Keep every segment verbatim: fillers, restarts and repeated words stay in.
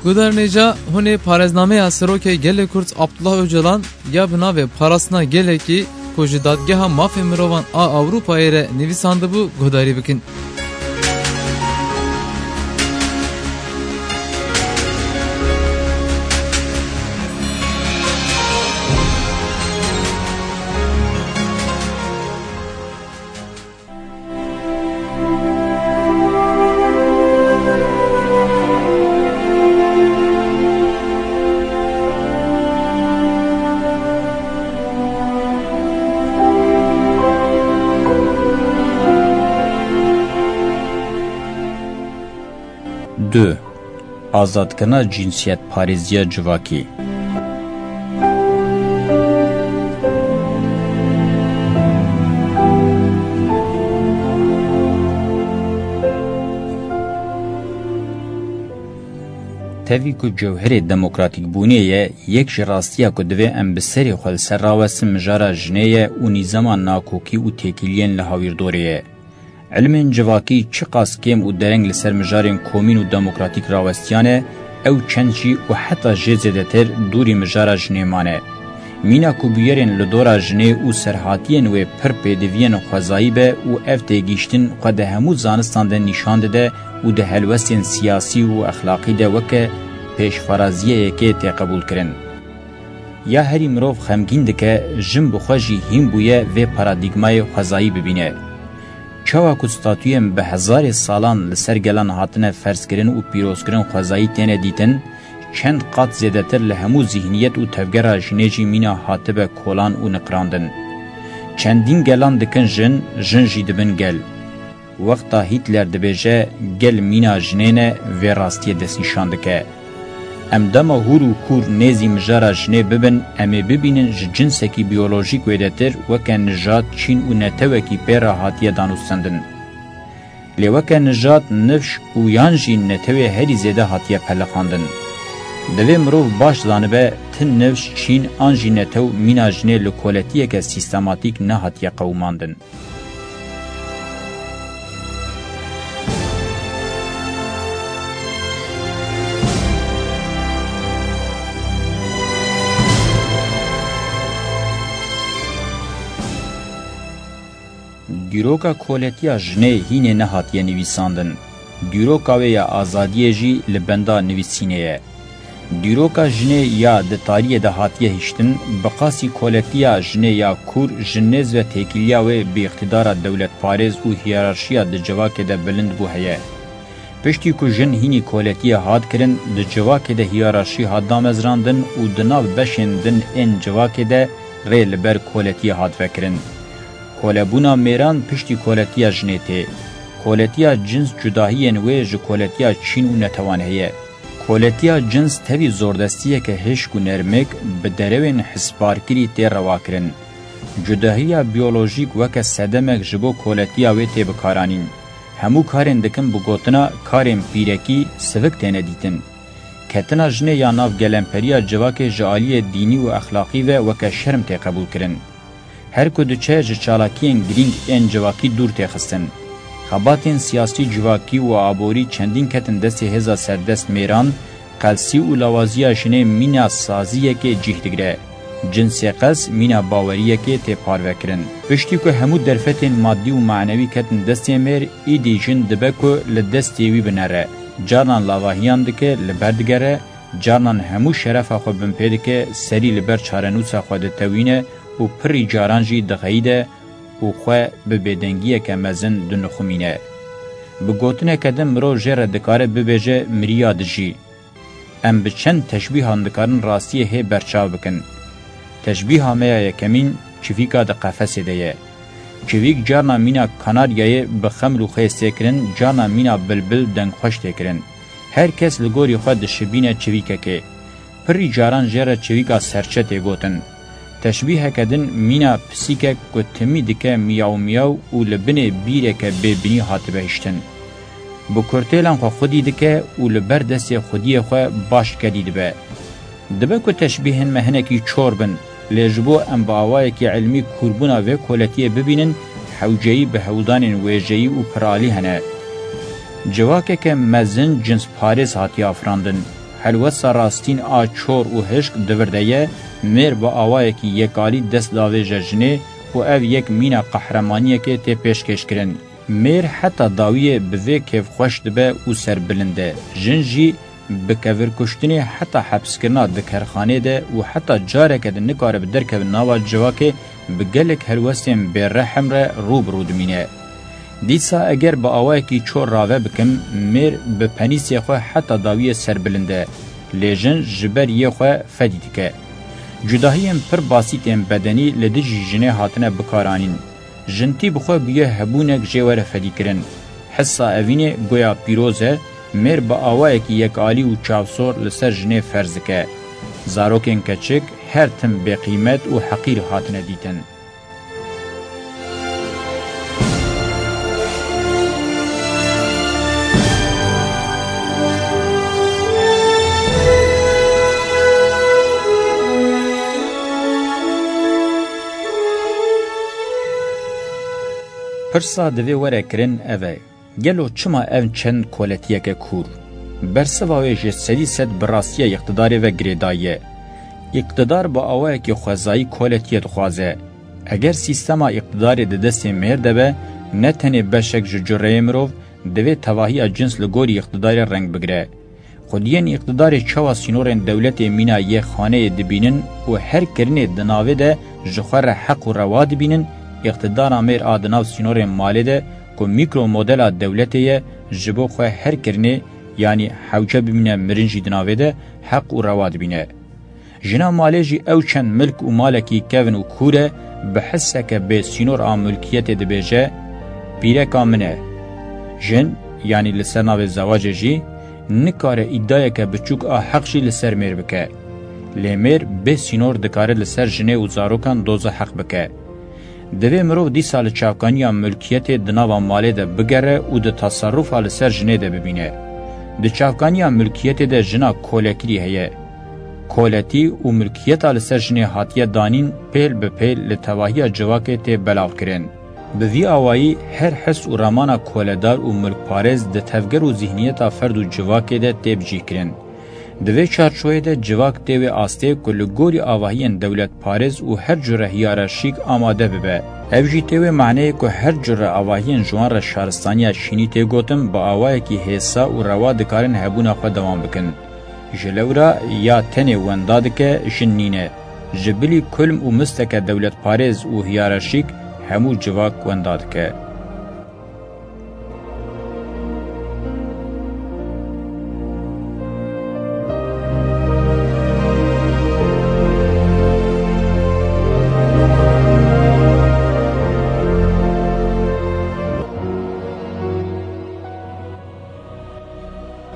Guhdarên hêja, hûn ê parêznameya Serokê Gelê Kurd Abdullah Ocalan ya bi navê Parastina Gelekî ku ji Dadgeha Mafê Mirovan a Ewropayê re nivîsandibû guhdarî bikin. Du. Azadkirina cinsiyetparêziya civakî. Tevî ku cewherê demokratîkbûnê ye, yek ji rastiya ku divê em bi serê xwe li ser rawestin mijara jinê ye û nîzama nakokî û têkiliyên li hawîrdorê ye. Ilmên civakî çiqas kêm û dereng li ser mijarên komîn û demokratîk rawestiyane, ew çend jî û heta jê zêdetir dûrî mijara jinê mane. Mîna ku bûyerên li dora jinê û serhatiyên wê pir pêdiviyên xwezayî be û ev têgihiştin xwe di hemû zanistan de nîşan dide û di helwestên siyasî û exlaqî de weke pêşfaraziyeyekê tê qebûlkirin. Ya herî mirov xemgîn dike, jin bi xwe jî hîn bûye vê paradîgmayê xwezayî bibîne. Çawa ku statuyên bi hezarê salan li ser gelan hatine ferzkirin û pîrozkirin xwezayî têne dîtin, çend qat zêdetir li hemû zîhniyet û tevgera jinê jî mîna hatibe kolan û niqirandin. Çendîn gelan dikin jin, jin jî dibin gel. Wexta Hîtler dibêje, gel mîna jinê ne, vê rastiyê destnîşan dike. Em dema hûr û kûr nêzî mijara jinê bibin, em ê bibînin ji cinsekî biyolojîk wêdetir weke nijad, çîn û netewekî pê re hatiye danûstendin. Lê weke nijad, nifş û yan jî netewê herî zêde hatiye peliqandin. Divê mirov baş zanibe, ti nifş, çîn an jî netew mîna jinê li koletiyeke sîstematîk nehatiye qewimandin. Dîroka koletiya jinê hînê nehatiye nivîsandin. Dîroka wê ya azadiyê jî li benda nivîsînê ye. Dîroka jinê ya di tariyê de hatiye hiştin, bi qasî koletiya jinê ya kûr ji nêz ve têkiliya wê bi îqtîdara dewletparêz û hiyerarşiya di civakê de bilind bû heye. Piştî ku jin hînî koletiyê hat kirin, di civakê de hiyerarşî hat damezrandin û di nav beşên din ên civakê de rê li ber koletiyê hat vekirin. Kolebûna mêran piştî koletiya jinê tê. Koletiya cins cudahiyên wê ji koletiya çîn û netewan heye. Koletiya cins tevî zordestiyeke hişk û nermik bi derewên hisbarkirî tê rewakirin. Cudahiya biyolojîk weke sedemek ji bo koletiya wê tê bikaranîn. Hemû karên dikin bi gotina karên pîrekî sivik têne dîtin. Ketina jinê ya nav gelemperiya civakê ji aliyê dînî û exlaqî ve weke şerm tê qebûlkirin. Her ku diçe ji çalakiyên girîng ên civakî dûr tê xistin. Xebatên siyasî, civakî û aborî çendîn ketin destê hêza serdest mêran, qelsî û lawaziya jinê mîna saziyekê cih digire. Cinsê qels mîna baweriyekê tê parvekirin. Piştî ku hemû derfetên madî û manewî ketin destê mêr, îdî jin dibe ku li destê wî binere. Carnan lavahiyan dike, li ber digere, carnan hemû şerefa xwe binpê dike, serî li ber çarenûsa xwe ditewîne û pirî caran jî dixeyide û xwe bi bêdengiyeke mezin dinixumîne. Bi gotineke din mirov jê re dikare bibêje miriya dijî. Em bi çend teşbîhan dikarin rastiyê hê berçav bikin. Teşbîha me ya yekemîn çivîka di qefesê de ye. Çivîk carna mîna kanaryayê bi xeml û xêz tê kirin, carna mîna bilbil dengxweş tê kirin. Her kes li gorî xwe dişibîne çivîkekê. Pirî caran jê re çivîka serçe tê gotin. Teşbîheke din mîna pisîkek ku timî dike miyaw miyaw û li binê bîreke bêbinî hatibe hiştin. Bi kurtêlan xwe xwedî dike û li ber destê xwediyê xwe baş kedî dibe. Dibe ku teşbîhên me hinekî çor bin, lê ji bo em bi awayekî ilmî kûrbûna vê koletiyê bibînin, hewceyî bi hewldanên wêjeyî û piralî hene. Civakeke mezin cinsparêz hatiye afirandin. Helwesta rastîn a çor û hişk di vir de ye, mêr bi awayekî yekalî dest davêje jinê û ev yek mîna qehremaniyekê tê pêşkêşkirin. Mêr heta dawiyê bi vê kêfxweş dibe û serbilind e. Jin jî bi kevirkuştinê heta hepskirina di kerxanê de û heta careke din nikare bi derkeve nava civakê bi gelek helwestên bêrehem re rû bi rû dimîne. Dîsa eger bi awayekî çor rave bikim, mêr bi penîsê xwe heta dawiyê serbilind e, lê jin ji ber yê xwe fedî dike. Cudahiyên pir basîtên bedenî li dijî jinê hatine bikaranîn. Jintî bi xwe bûye hebûnek jê were fedîkirin. Hissa evînê goya pîroz e, mêr bi awayekî yekalî û çavsor li ser jinê ferz dike. Zarokên keçik her tim bêqîmet û heqîr hatine dîtin. Pirsa divê were kirin ev e, gelo çima ev çend koletiyeke kûr? Bersiva wê ji sedî sed bi rastiya îqtidarê ve girêdayî ye. Îqtidar bi awayekî xwezayî koletiyê dixwaze. Eger sîstema îqtidarê di destê mêr de be, ne tenê beşek ji cureyê mirov, divê tevahiya cins li gorî îqtidarê reng bigire. Xwediyên îqtidarê çawa sînorên dewletê mîna yê xaneyê dibînin û her kirinê di navê de ji xwe re heq û rewa dibînin, îqtidara mêr a di nav sînorên malê de ku mîkro modela dewletê ye, ji bo xwe her kirinê, yanî hewce bimîne mirin jî di navê de heq û rewa dibîne. Jina malê jî ew çend milk û malekî kevn û kûr e, bi hisseke bê sînor a milkiyetê dibêje, pîreka min e. Jin, yanî li ser navê zewacê jî, nikare îdayeke biçûk a heq jî li ser mêr bike. Lê mêr bê sînor dikare li ser jinê û zarokan doza heq bike. Divê mirov dîsa li çavkaniya milkiyetê di nava malê de bigere û di teserufa li ser jinê de bibîne. Di çavkaniya milkiyetê de jina kolekirî heye. Koletî û milkiyeta li ser jinê hatiye danîn pêl bi pêl li tevahiya civakê tê belavkirin. Bi vî awayî her his û ramana koledar û milkparêz di tevger û zîhniyeta ferd û civakê de tê bicîhkirin. Di vê çarçoyê de civak tê wê astê ku li gorî avahiyên dewletparêz û her cure hiyerarşîk amade bibe. Ev jî tê wê maneyê ku her cure avahiyên ji wan re şaristaniya şînî tê gotin, bi awayekî hêsa û rewa dikarin hebûna xwe dewam bikin. Ji lewra ya tenê wenda dike, jin nîne. Ji bilî kulm û misteke dewletparêz û hiyerarşîk hemû civak wenda dike.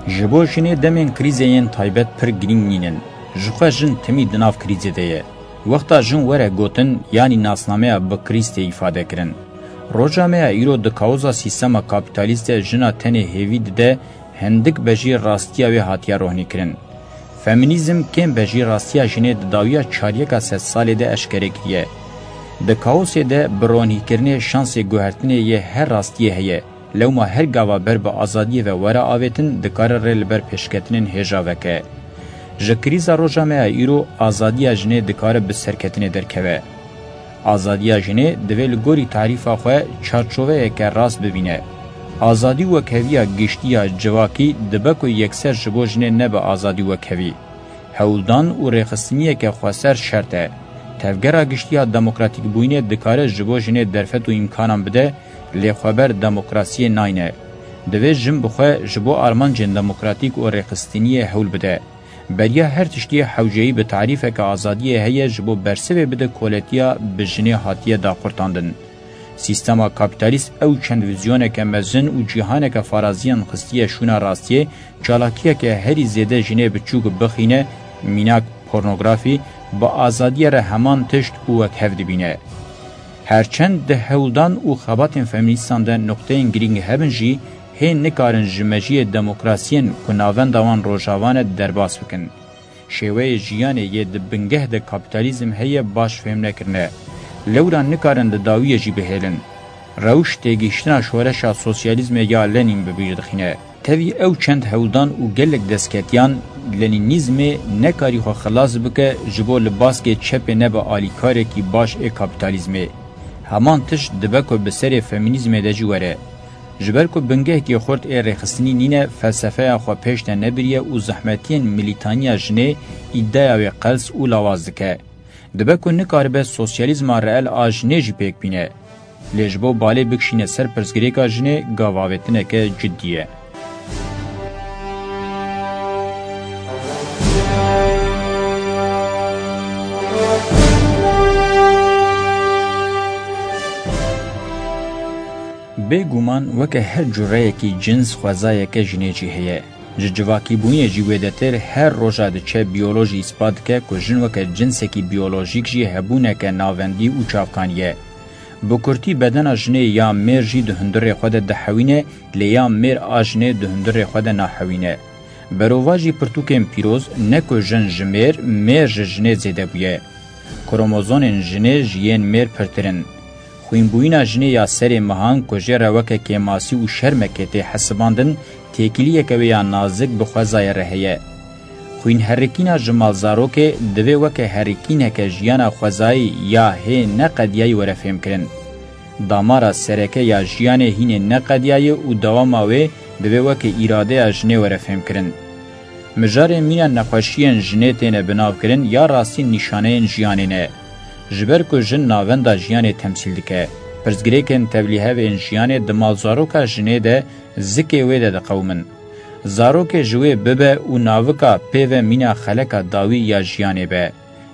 Ji bo jinê demên krîzê yên taybet pir girîng nînin. Ji xwe jin timî di nav krîzê de ye. Wexta jin were gotin, yanî nasnameya bi krîz tê îfade kirin. Roja me ya îro di kaoza sîstema kapîtalîst de jina tenê hêvî dide, hindik bejî rastiya wê hatiye rohnîkirin. Femînîzm kêm bejî rastiya jinê di dawiya çaryeka sedsalê de eşkere kiriye. Di kaosê de bi ronîkirinê şansê guhertinê yê her rastiyê heye. Lewma her gava ber bi azadiyê ve were avêtin, dikare rê li ber pêşketinên hêja veke. Ji krîza roja me ya îro, azadiya jinê dikare bi serketinê derkeve. Azadiya jinê divê li gorî tarîfa xwe çarçoveyeke rast bibîne. Azadî wekheviya giştî ya civakî dibe ku yekser ji bo jinê nebe azadî wekhevî. Hewldan û rêxistiniyeke xweser şert e. Tevgera giştî ya demokratîkbûyînê dikare ji bo jinê derfet û îmkanan bide, lê xweber demokrasiyê nayne. Divê jin bi xwe ji bo armancên demokratîk û rêxistiniyê hewl bide. Beriya her tiştî hewceyî bi tarîfeke azadiyê heye ji bo bersivê bide koletiya bi jinê hatiye daqurtandin. Sîstema kapîtalîst ew çend vîzyoneke mezin û cîhaneke faraziyan xistiye şûna rastiyê, çalakiyeke herî zêde jinê biçûk bixîne, mînak pornografî, bi azadiyê re heman tişt û wekhev dibîne. Herçend di hewldan û xebatên femînîstan de nuqteyên girîng hebin jî, hê nikarin ji mejiyê demokrasiyên ku navenda wan Rojava ne derbas bikin. Şêweyê jiyanê yê di bingeh de kapîtalîzm heye baş fêm nekirine. Lewra nikarin di dawiyê jî bihêlin. Rewş têgihiştina şoreşa sosyalîzmê ya Lenîn bi bîr dixîne. Tevî ew çend hewldan û gelek destketiyan, lenînîzmê nekarî xwe xilas bike ji bo li baskê çepê nebe alîkarekî baş ê kapîtalîzmê. Heman tişt dibe ku bi serê femînîzmê de jî were. Ji ber ku bingehekî xurt ê rêxistinî nîne, felsefeya xwe pêş de nebiriye û zehmetiyên milîtaniya jinê îdeya wê qels û lawaz dike. Dibe ku nikaribe sosyalîzma reel a jinê jî pêk bîne. Lê ji bo balê bikişîne ser pirsgirêka jinê, gavavêtineke cidî ye. Bêguman weke her cureyekî cins xwezayeke jinê jî heye. Ji civakîbûnê jî wêdetir her roja diçe biyolojî îspat dike ku jin weke cinsekî biyolojîk jî hebûneke navendî û çavkanî ye. Bi kurtî bedena jinê ya mêr jî di hundirê xwe de dihewîne, lê ya mêr a jinê di hundirê xwe de nahewîne. Berovajî pirtûkên pîroz ne ku jin ji mêr, mêr ji jinê zêde bûye. Kromozonên jinê ji yên mêr pirtir in. Xwînbûyîna jinê ya serê mehan ku jê re weke kêmasî û şermekê tê hesibandin, têkiliyeke wê ya nazik bi xwezayê re heye. Xwînherikîna ji malzarokê divê weke herikîneke jiyana xwezayî ya hê neqediyayî were fêmkirin. Damara sereke ya jiyanê hînê neqediyayî û dewama wê divê weke îradeya jinê were fêmkirin. Mijarê mîna nexweşiyên jinê têne binavkirin ya rastî nîşaneyên jiyanê ne. Ji ber ku jin navenda jiyanê temsîl dike, pirsgirêkên tevlîhevên jiyanê di malzaroka jinê de zikê wê de diqewimin. Zarokê ji wê bibe û navika pê ve mîna xeleka dawî ya jiyanê be.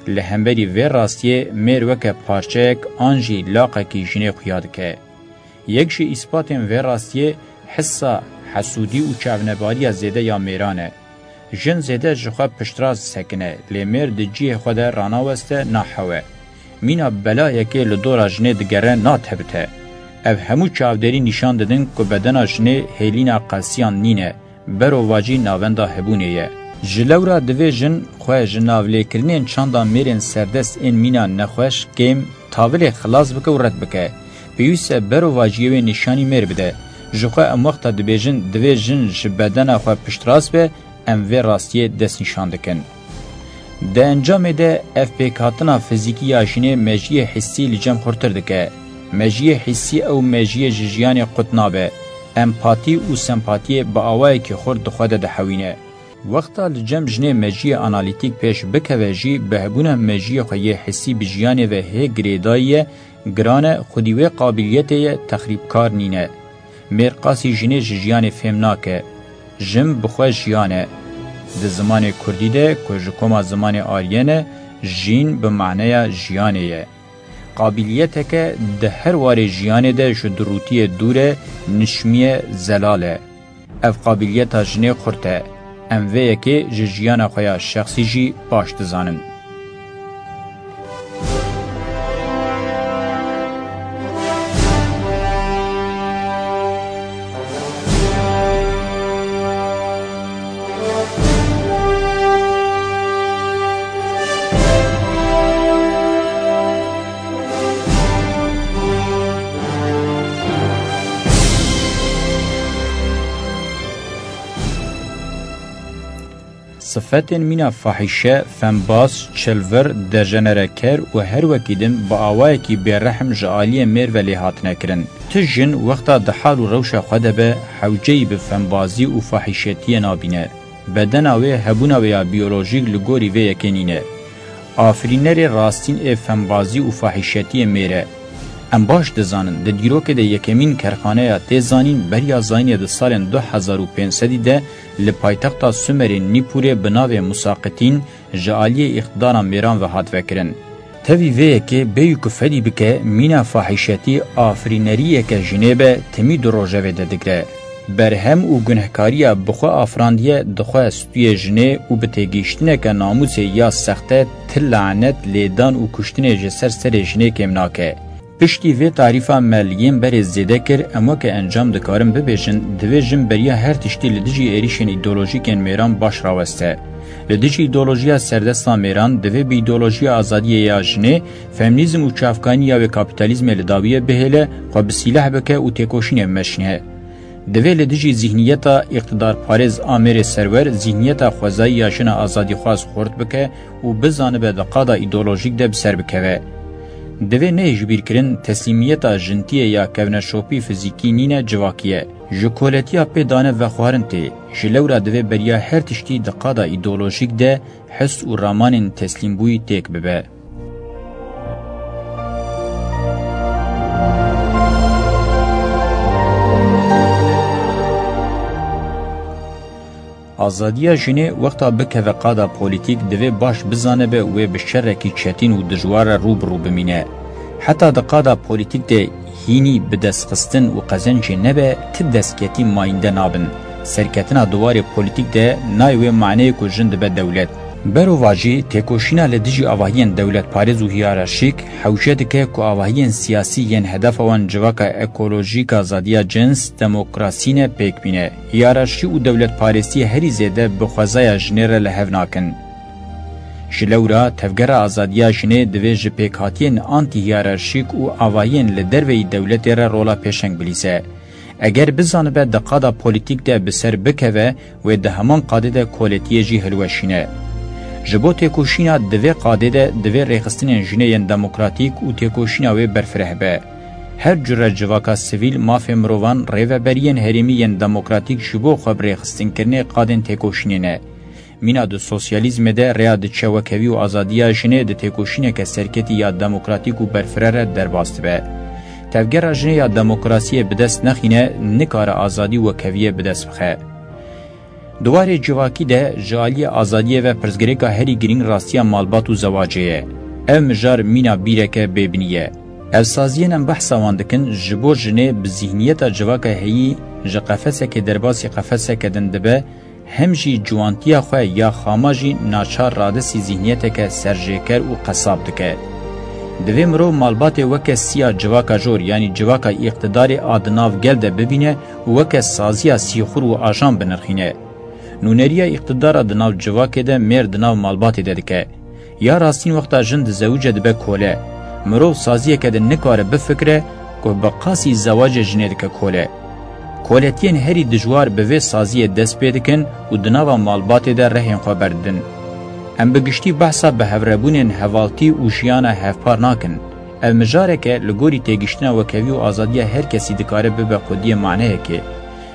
Li hemberî vê rastiyê mêr weke parçeyek an jî laqekî jinê xuya dike. Yek ji îspatên vê rastiyê hissa hesûdî û çavnebariya zêde ya mêran e. Jin zêde ji xwe piştrast disekine, lê mêr di cihê xwe de ranaweste nahewe. Mîna belayekê li dora jinê digere natebite. Ev hemû çavdêrî nîşan didin ku bedena jinê hêlîna qelsiyan nîne, berovajî navenda hebûnê ye. Ji lewra divê jin xwe ji navlêkirinên çanda mêrên serdest ên mîna nexweş, kêm, tavilê xilas bike û red bike. Pêwîst e berovajiyê wê nîşanî mêr bide. Ji xwe em wexta dibêjin divê jin ji bedena xwe piştrast be, em vê rastiyê destnîşan dikin. Di encamê de ev pêkhatina fizîkî ya jinê mejiyê hissî li cem xurtir dike. Mejiyê hissî ew mejiyê ji jiyanê qut nabe. Empatî û sempatiyê bi awayekî xurt di xwe de dihewîne. Wexta li cem jinê mejiyê analîtîk pêş bikeve jî, bi hebûna mejiyê xwe yê hissî bi jiyanê ve hê girêdayî ye, giran e, xwedî wê qabiliyetê ye, texrîbkar nîne. Mêr qasî jinê ji jiyanê fêm nake. Jin bi xwe jiyan e. Di zimanê kurdî de ku ji koma zimanê aryen e, jîn bi maneya jiyanê ye. Qabiliyeteke di her warê jiyanê de ji durûtiyê dûr e, nişmiye, zelal e. Ev qabiliyeta jinê xurt e. Em vê yekê ji jiyana xwe ya şexsî jî baş dizanin. Sifetên mîna fahîşe, fembaz, çilvir, dejenereker û her wekî din bi awayekî bêrehm ji aliyê mêr ve lê hatine kirin. Ti jin wexta di hal û rewşa xwe de be, hewceyî bi fembazî û fahîşetiyê nabîne. Bedena wê hebûna wê ya biyolojîk li gorî vê yekê nîne. Afirînerê rastîn ê fembazî û fahîşetiyê mêr e. Em baş dizanin, di dîrokê de yekemîn kerxaneya tê zanîn beriya zayînê di salên du hezar û pênc sedî de li paytexta Sumerê Nîpûrê bi navê Musaqitîn ji aliyê îqtidara mêran ve hat vekirin. Tevî vê yekê bêyî ku fedî bike, mîna fahîşetî afirîneriyeke jinê be, timî du rojevê de digre. Berhem û gunehkariya bi xwe afirandiye, dixwe stûyê jinê û bi têgihiştineke namûsê ya sexte ti lanet, lêdan û kuştinê ji ser serê jinê kêm nake. Piştî vê tarîfa me li yên berê zêde kir, em weke encam dikarin bibêjin, divê jin beriya her tiştî li dijî êrîşên îdeolojîkên mêran baş raweste. Li dijî îdeolojiya serdesta mêran, divê bi îdeolojiya azadiyê ya jinê, femînîzm û çavkanî ya wê kapîtalîzmê li dawiyê bihêle, xwe bi sîleh bike û têkoşînê bimeşîne. Divê li dijî zîhniyeta îqtidarparêz a mêrê serwer zîhniyeta xwezayî ya jina azadîxwaz xurt bike û bizanibe di qada îdeolojîk de bi ser bikeve. Divê neyê ji bîr kirin teslîmiyeta jintiyê ya kevneşopî fizîkî nîne, civakî ye. Ji koletiya pê dane vexwarin tê. Ji lewra divê beriya her tiştî di qada îdeolojîk de his û ramanên teslîmbûyî têk bibe. Azadiya jinê wexta bikeve qada polîtîk, divê baş bizanibe wê bi şerekî çetîn û dijwar re rû bi rû bimîne. Heta di qada polîtîk de hînî bidestxistin û qezencê nebe, ti destketî mayînde nabin. Serketina di warê polîtîk de nayê wê maneyê ku jin dibe dewlet. Berovajî, têkoşîna li dijî avahiyên dewletparêz û hiyerarşîk hewce dike ku avahiyên siyasî yên hedefa wan civaka ekolojîk, azadiya cins, demokrasî ne, pêk bîne. Hiyerarşî û dewletparêstiyê herî zêde bi xwezaya jinê re li hev nakin. Ji lewra, Tevgera Azadiya Jinê divê ji pêkhatiyên antî-hiyerarşîk û avahiyên li derveyî dewletê re rola pêşeng bilîze. Eger bizanibe di qada polîtîk de bi ser bikeve, wê di heman qadê de koletiyê jî hilweşîne. Ji bo têkoşîna di vê qadê de divê rêxistinên jinê yên demokratîk û têkoşîna wê berfireh be. Her cure civaka sivîl, mafê mirovan, rêveberiyên herêmî yên demokratîk ji bo xwe bi rêxistinkirinê qadên têkoşînê ne. Mîna di sosyalîzmê de rêya diçe wekevî û azadiya jinê di têkoşîneke serketî ya demokratîk û berfireh re derbas dibe. Tevgera jinê ya demokrasiyê bi dest nexîne, nikare azadî û wekeviyê bi dest bixe. Di warê civakî de ji aliyê azadiyê ve pirsgirêka herî girîng rastiya malbat û zewacê ye. Ev mijar mîna bîreke bêbinî ye. Ev saziyên em behsa wan dikin, ji bo jinê bi zîhniyeta civaka heyî ji qefesekê derbasî qefeseke din dibe, hem jî ciwantiya xwe ya xama jî naçar radestî zîhniyeteke serjêker û qesab dike. Divê mirov malbatê weke siya civaka jor, yanî civaka îqtidarê a di nav gel de bibîne û weke saziya sîxur û ajan binirxîne. Nûneriya îqtidara di nav civakê de mêr di nav malbatê de dike. Ya rastîn wexta jin dizewice dibe kole. Mirov saziyeke de nikare bifikire ku bi qasî zewacê jinê dike kole. Koletiyên herî dijwar bi vê saziyê dest pê dikin û di nava malbatê de rehên xwe berdidin. Em bi giştî behsa bi hevrebûnên hevaltî û jiyana hevpar nakin. Ev mijareke li gorî têgiştina wekevî û azadiya her kesî dikare bibe xwediyê maneyekê.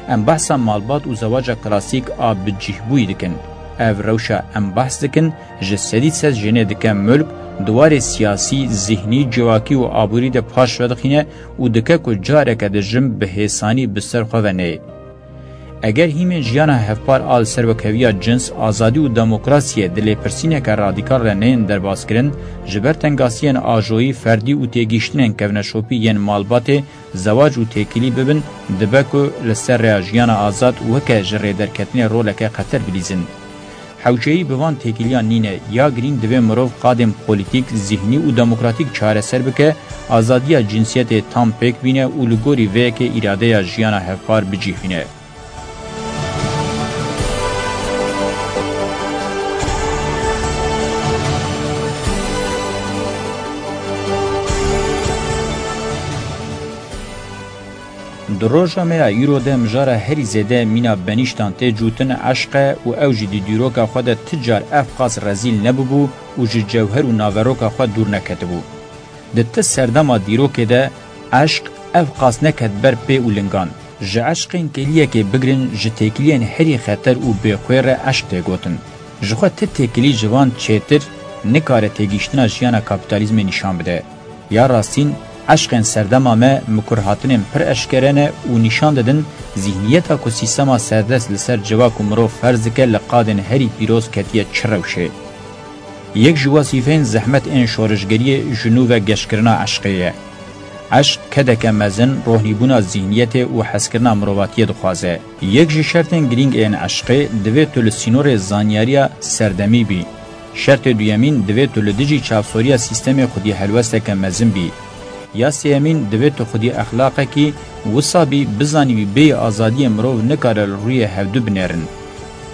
Em behsa malbat û zewaca klasîk a bicîhbûyî dikin. Ev rewşa em behs dikin, ji sedî sed jinê dike mulk, di warê siyasî, zihnî, civakî û aborî de paş vedixîne û dike ku careke di jin bi hêsanî bi ser xwe ve neyê. Eger hîmên jiyana hevpar a li ser wekheviya cins, azadî û demokrasiyê di lêpirsîneke radîkal re neyên derbaskirin, ji ber tengasiyên ajoyî, ferdî û têgihiştinên kevneşopî yên malbatê, zewac û têkilî bibin, dibe ku li ser rêya jiyana azad weke ji rêderketinê roleke xeter bilîzin. Hewceyî bi van têkiliyan nîne, ya girîng divê mirov qadên polîtîk, zihnî û demokratîk çareser bike, azadiya cinsiyetê tam pêk bîne û li gorî vê yekê îradeya jiyana hevpar bicîhîne. Di roja me ya îro de mijara herî zêde mîna benîştan tê cûtin eşq e û ew jî di dîroka xwe de ti car ev qas rezîl nebûbû û ji cewher û naveroka xwe dûr neketibû. Di ti serdema dîrokê de eşq ev qas neket ber pê û lingan. Ji eşqên kêliyekê bigirin ji têkiliyên herî xeter û bêxwê re eşq tê gotin. Jixwe ti têkilî ji van çêtir nikare têgihiştina jiyana kapîtalîzmê nîşan bide. Ya rastîn, eşqên serdema me mikurhatinên pir eşkere ne û nîşan didin zîhniyeta ku sîstema serdest li ser civak û mirov ferz dike li qadên herî pîroz ketiye çi rewşê. Yek ji wezîfeyên zehmet ên şorişgeriyê ji nû ve geşkirina eşqê ye. Eşq kedeke mezin rohnîbûna zîhniyetê û hezkirina mirovatiyê dixwaze. Yek ji şertên girîng ên eşqê divê tu li sînorê zanyariya serdemî bî. Şertê duyemîn divê tu li dijî çavsoriya sîstemê xwedî helwesteke mezin bî. Ya sêyemîn divê tu xwedî exlaqekî wisa bî bizanîbî bêyî azadiyê mirov nikare li rûyê hevdu binêrin.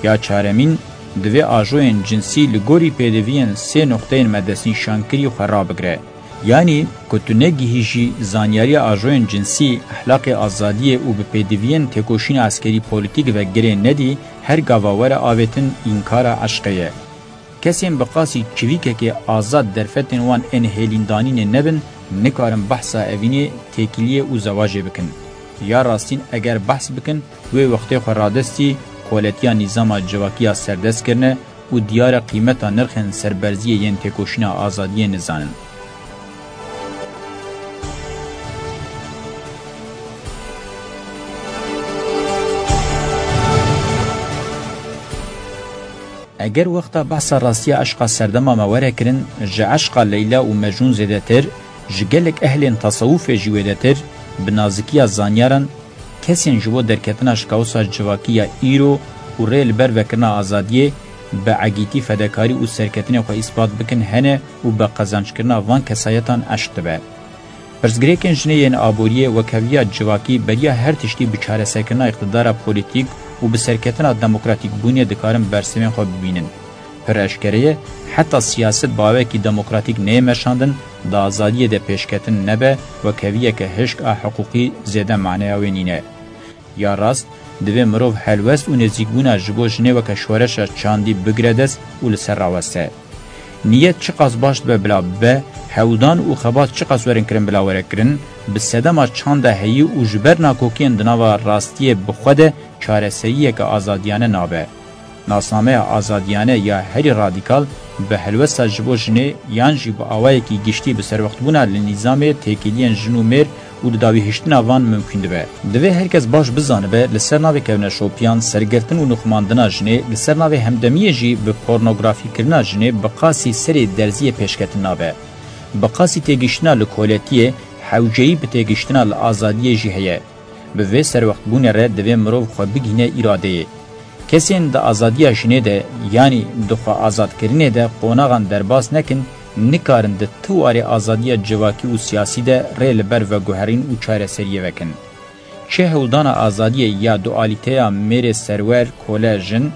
Ya çaremîn divê ajoyên cinsî li gorî pêdiviyên sê noqteyên me destnîşankirî xwe rabigire. Yanî ku tu negihîjî zanyariya ajoyên cinsî, ehlaqê azadiyê û bi pêdiviyên têkoşîna eskerî polîtîk ve girê nedî, her gava were avêtin înkara eşqê ye. Kesên bi qasî çivîkekê azad derfetên wan ên hêlîndanînê nebin, nikarin behsa evînê, têkiliyê û zewacê bikin. Ya rastîn eger behs bikin, wê wextê xwe radestî koletiya nîzama civakî ya serdest kirine û diyar e qîmeta nirxên serberziyê yên têkoşîna azadiyê nizanin. Eger wexta behsa rastiya eşqa serdema me were kirin, ji eşqa Leyla û Mecnûn zêdetir, ji gelek ehlên tesewufê jî wêdetir, bi nazikiya zanyaran, kesên ji bo derketina ji kaosa civakî ya îro û rê li ber vekirina azadiyê, bi egîtî fedekarî û serketinê xwe îspat bikin hene û bi qezenckirina van kesayetan eşq dibe. Pirsgirêkên jinê yên aboriyê, wekheviya civakî, beriya her tiştî bi çareserkirina îqtidara polîtîk û bi serketina demokratîkbûnê dikarin bersivên xwe bibînin. Pir eşkere ye, heta siyaset bi awayekî demokratîk neyê meşandin, di azadiyê de pêşketin nebe, wekheviyeke hişk a hiqûqî zêde maneya wê nîne. Ya rast, divê mirov helwest û nêzîkbûna ji bo jinê weke şoreşa çandî bigire dest û li ser raweste. Niyet çiqas baş dibe bila bibe, hewldan û xebat çiqas werin kirin bila were kirin, bi sedema çanda heyî û ji ber nakokiyên di nava rastiyê bi xwe de çareseriyeke azadiyane nabe. Nasnameya azadiyane ya herî radîkal bi helwesta ji bo jinê yan jî bi awayekî giştî bi serwextbûna li nîzamê têkiliyên jin û mêr û di dawîhiştina van mimkûn dibe. Divê her kes baş bizanibe, li ser navê kevneşopiyan, sergirtin û nuxmandina jinê, li ser navê hemdemiyê jî bi pornografîkirina jinê bi qasî serê derziyê pêşketin nabe. Bi qasî têgihiştina li koletiyê, hewceyî bi têgihiştina li azadiyê jî heye. Bi vê serwextbûnê re divê mirov xwe bigihîne îradeyê. Kesên di azadiya jinê de, yanî di xwe azadkirinê de qonaxan derbas nekin, nikarin di ti warê azadiya civakî û siyasî de rê li ber veguherîn û çareseriyê vekin. Çi hewldana azadiyê ya dualîteya mêrê serwer, kole, jin,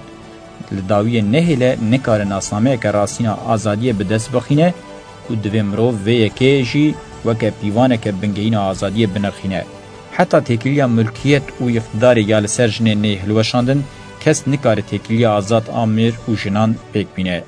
li dawiyê nehêle, nikare nasnameyeke rastîna azadiyê bi dest bixîne û divê mirov vê yekê jî weke pîvaneke bingehîna azadiyê binirxîne. Heta têkiliya mulkiyet û îqtidarê ya li ser jinê neyê hilweşandin, kes nikare têkiliya azad a mêr û jinan pêk bîne.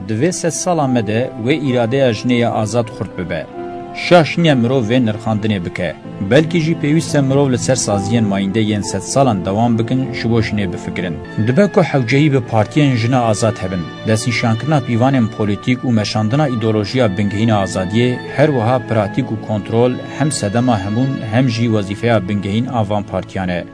Di vê sedsala me de wê îradeya jinê ya azad xurt bibe. Şaş nîne mirov vê nirxandinê bike. Belkî jî pêwîst e mirov li ser saziyên mayînde yên sedsalan dewam bikin, ji bo jinê bifikirin. Dibe ku hewceyî bi partiyên jina azad hebin, destnîşankirina pîvanên polîtîk û meşandina îdeolojiya bingehîna azadiyê, her wiha pratîk û kontrol hem sedema hemûn hem jî wezîfeya bingehîn a van partiyan e.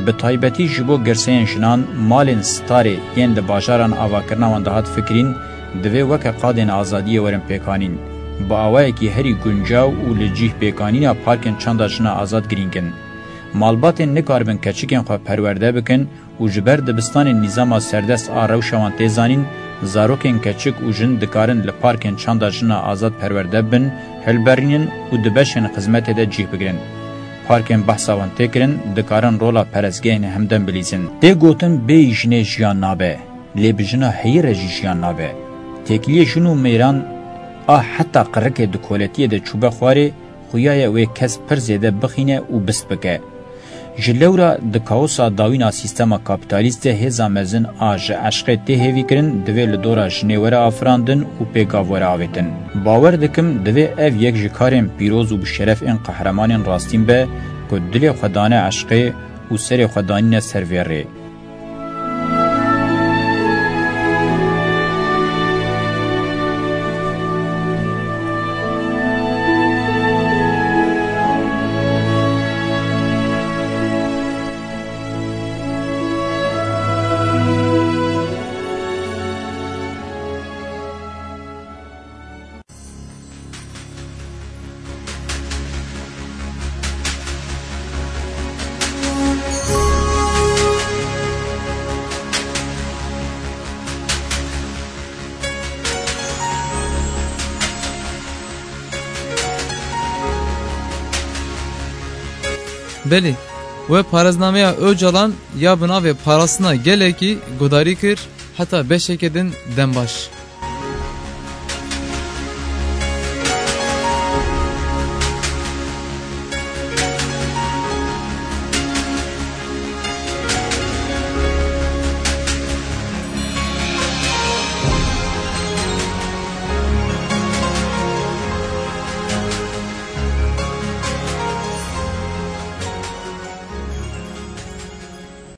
Bi taybetî ji bo girseyên jinan, malên starê yên li bajaran avakirina wan dihat fikirîn, divê weke qadên azadiyê werin pêkanîn. Bi awayekî herî guncaw û li cih pêkanîna parkên çanda jina azad girîng in. Malbatên nikaribin keçikên xwe perwerde bikin û ji ber dibistanên nîzama serdest a rewşa wan tê zanîn, zarokên keçik û jin dikarin li parkên çanda jina azad perwerde bibin, hilberînin û di beşên xizmetê de cih bigirin. Parkên behsa wan tê kirin dikarin rola perestgehên hemdem bilîzin. Tê gotin bêyî jinê jiyan nabe, lê bi jina heyî re jî jiyan nabe. Têkiliyê jin û mêran a heta qirikê di koletiyê de çûbe xwarê, xuya ye wê kes pir zêde bixîne û bist bike. Ji lewra di kaosa dawîn a sîstema kapîtalîst de hêza mezin a ji eşqê tê hêvîkirin, divê li dora jinê were afirandin û pêgav were avêtin. Bawer dikim, divê ev yek ji karên pîroz û bi şeref ên qehremanên rastîn be ku dilê xwe dane eşqê û serê xwe danîne ser vê rê. Belê, we parêznameya Ocalan ya bi navê Parastina Gelekî gudarî kir, heta beşeke din dem baş.